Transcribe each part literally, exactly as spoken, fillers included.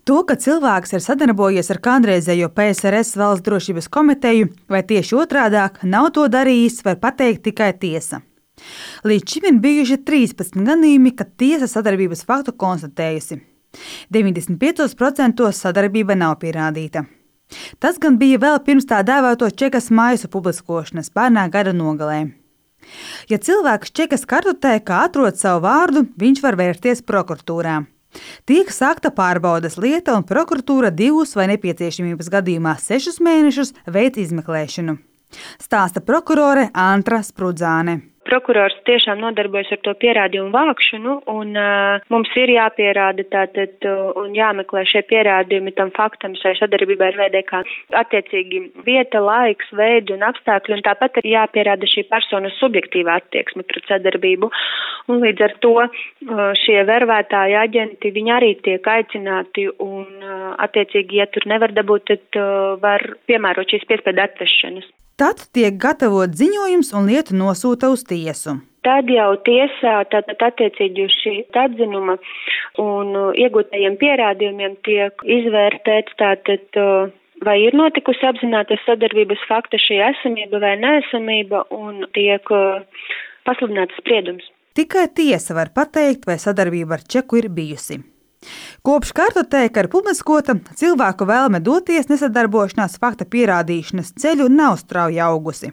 To, ka cilvēks ir sadarbojies ar kādreizējo P S R S Valsts drošības komiteju, vai tieši otrādāk nav to darījis, var pateikt tikai tiesa. Līdz šim ir bijuši trīspadsmit gadījumi, kad tiesa sadarbības faktu konstatējusi. deviņdesmit piecos procentos sadarbība nav pierādīta. Tas gan bija vēl pirms tā dēvēto čekas maisu publiskošanas pērnā gada nogalē. Ja cilvēks čekas kartotēkā atrod savu vārdu, viņš var vērsties prokuratūrā. Tiek sākta pārbaudes lieta, un prokuratūra divus vai nepieciešamības gadījumā sešus mēnešus veic izmeklēšanu. Stāsta prokurore Antra Sprudzāne. Prokurors tiešām nodarbojas ar to pierādījumu vākšanu, un uh, mums ir jāpierāda tātad uh, un jāmeklē šie pierādījumi tam faktam šai sadarbībai ar V D K. Attiecīgi vieta, laiks, veidi un apstākļi, un tāpat ir jāpierāda šī personas subjektīvā attieksme pret sadarbību. Un līdz ar to uh, šie vervētāji aģenti, viņi arī tiek aicināti, un uh, attiecīgi, ja tur nevar dabūt, tad uh, var piemērot šīs piespiedu atvešanas. Tad tiek gatavot ziņojums un lietu nosūta uz tiesu. Tad jau tiesā tātad attiecīgi uz šī atzinuma un iegūtajiem pierādījumiem tiek izvērtēts tātad, vai ir notikusi apzinātas sadarbības fakta šī esamība vai neesamība, un tiek pasludināts spriedums. Tikai tiesa var pateikt, vai sadarbība ar čeku ir bijusi. Kopš kartotēka ir publiskota, cilvēku vēlme doties nesadarbošanās fakta pierādīšanas ceļu nav strauji augusi.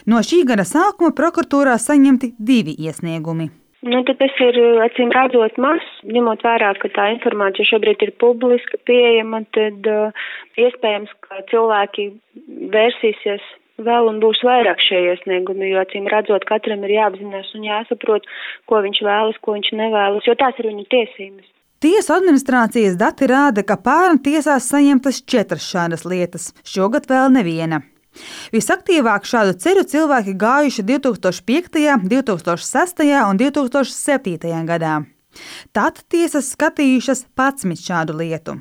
No šī gada sākuma prokuratūrā saņemti divi iesniegumi. Nu, tad tas ir, acīm redzot, maz, ņemot vērā, ka tā informācija šobrīd ir publiska, pieejama, tad uh, iespējams, ka cilvēki vērsīsies vēl un būs vairāk šie iesniegumi, jo, acīm redzot, katram ir jāapzinās un jāsaprot, ko viņš vēlas, ko viņš nevēlas, jo tās ir viņu tiesības. Tiesu administrācijas dati rāda, ka pērn tiesās saņemtas četras šādas lietas, šogad vēl neviena. Visaktīvāk šādu ceļu cilvēki gājuši divi tūkstoši piektajā, divi tūkstoši sestajā un divi tūkstoši septītajā gadā. Tad tiesas skatījušas padsmit šādu lietu.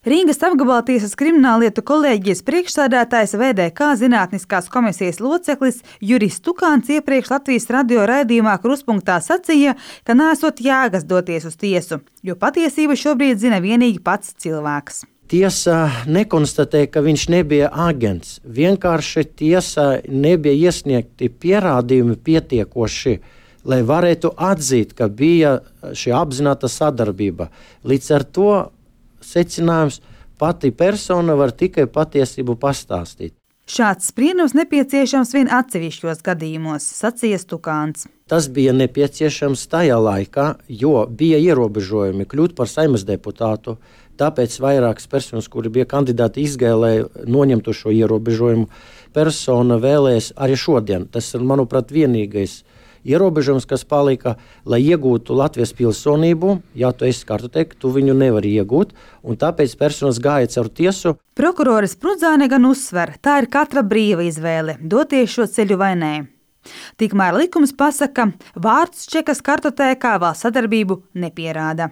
Rīgas apgabaltiesas krimināllietu kolēģijas priekšsēdētājs V D K zinātniskās komisijas loceklis Juris Tukāns iepriekš Latvijas radio raidījumā Kruspunktā sacīja, ka nesot jēgas doties uz tiesu, jo patiesību šobrīd zina vienīgi pats cilvēks. Tiesa nekonstatēja, ka viņš nebija aģents. Vienkārši tiesa nebija iesniegti pierādījumi pietiekoši, lai varētu atzīt, ka bija šī apzināta sadarbība. Līdz ar to secinājums, pati persona var tikai patiesību pastāstīt. Šāds spriedums nepieciešams vien atsevišķos gadījumos, sacīja Tukāns. Tas bija nepieciešams tajā laikā, jo bija ierobežojumi kļūt par Saeimas deputātu, tāpēc vairākas personas, kuri bija kandidāti izgāja, noņemtu šo ierobežojumu. Persona vēlēs arī šodien. Tas ir, manuprāt, vienīgais ierobežojums, kas palika, lai iegūtu Latvijas pilsonību. Ja tu esi kartotēka, tu viņu nevari iegūt, un tāpēc personas gāja caur tiesu. Prokurore Sprudzāne gan uzsver, tā ir katra brīva izvēle, doties šo ceļu vai nē. Tikmēr likums pasaka, vārds čekas kartotēkā vēl sadarbību nepierāda.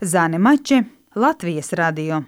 Zane Mače, Latvijas radio.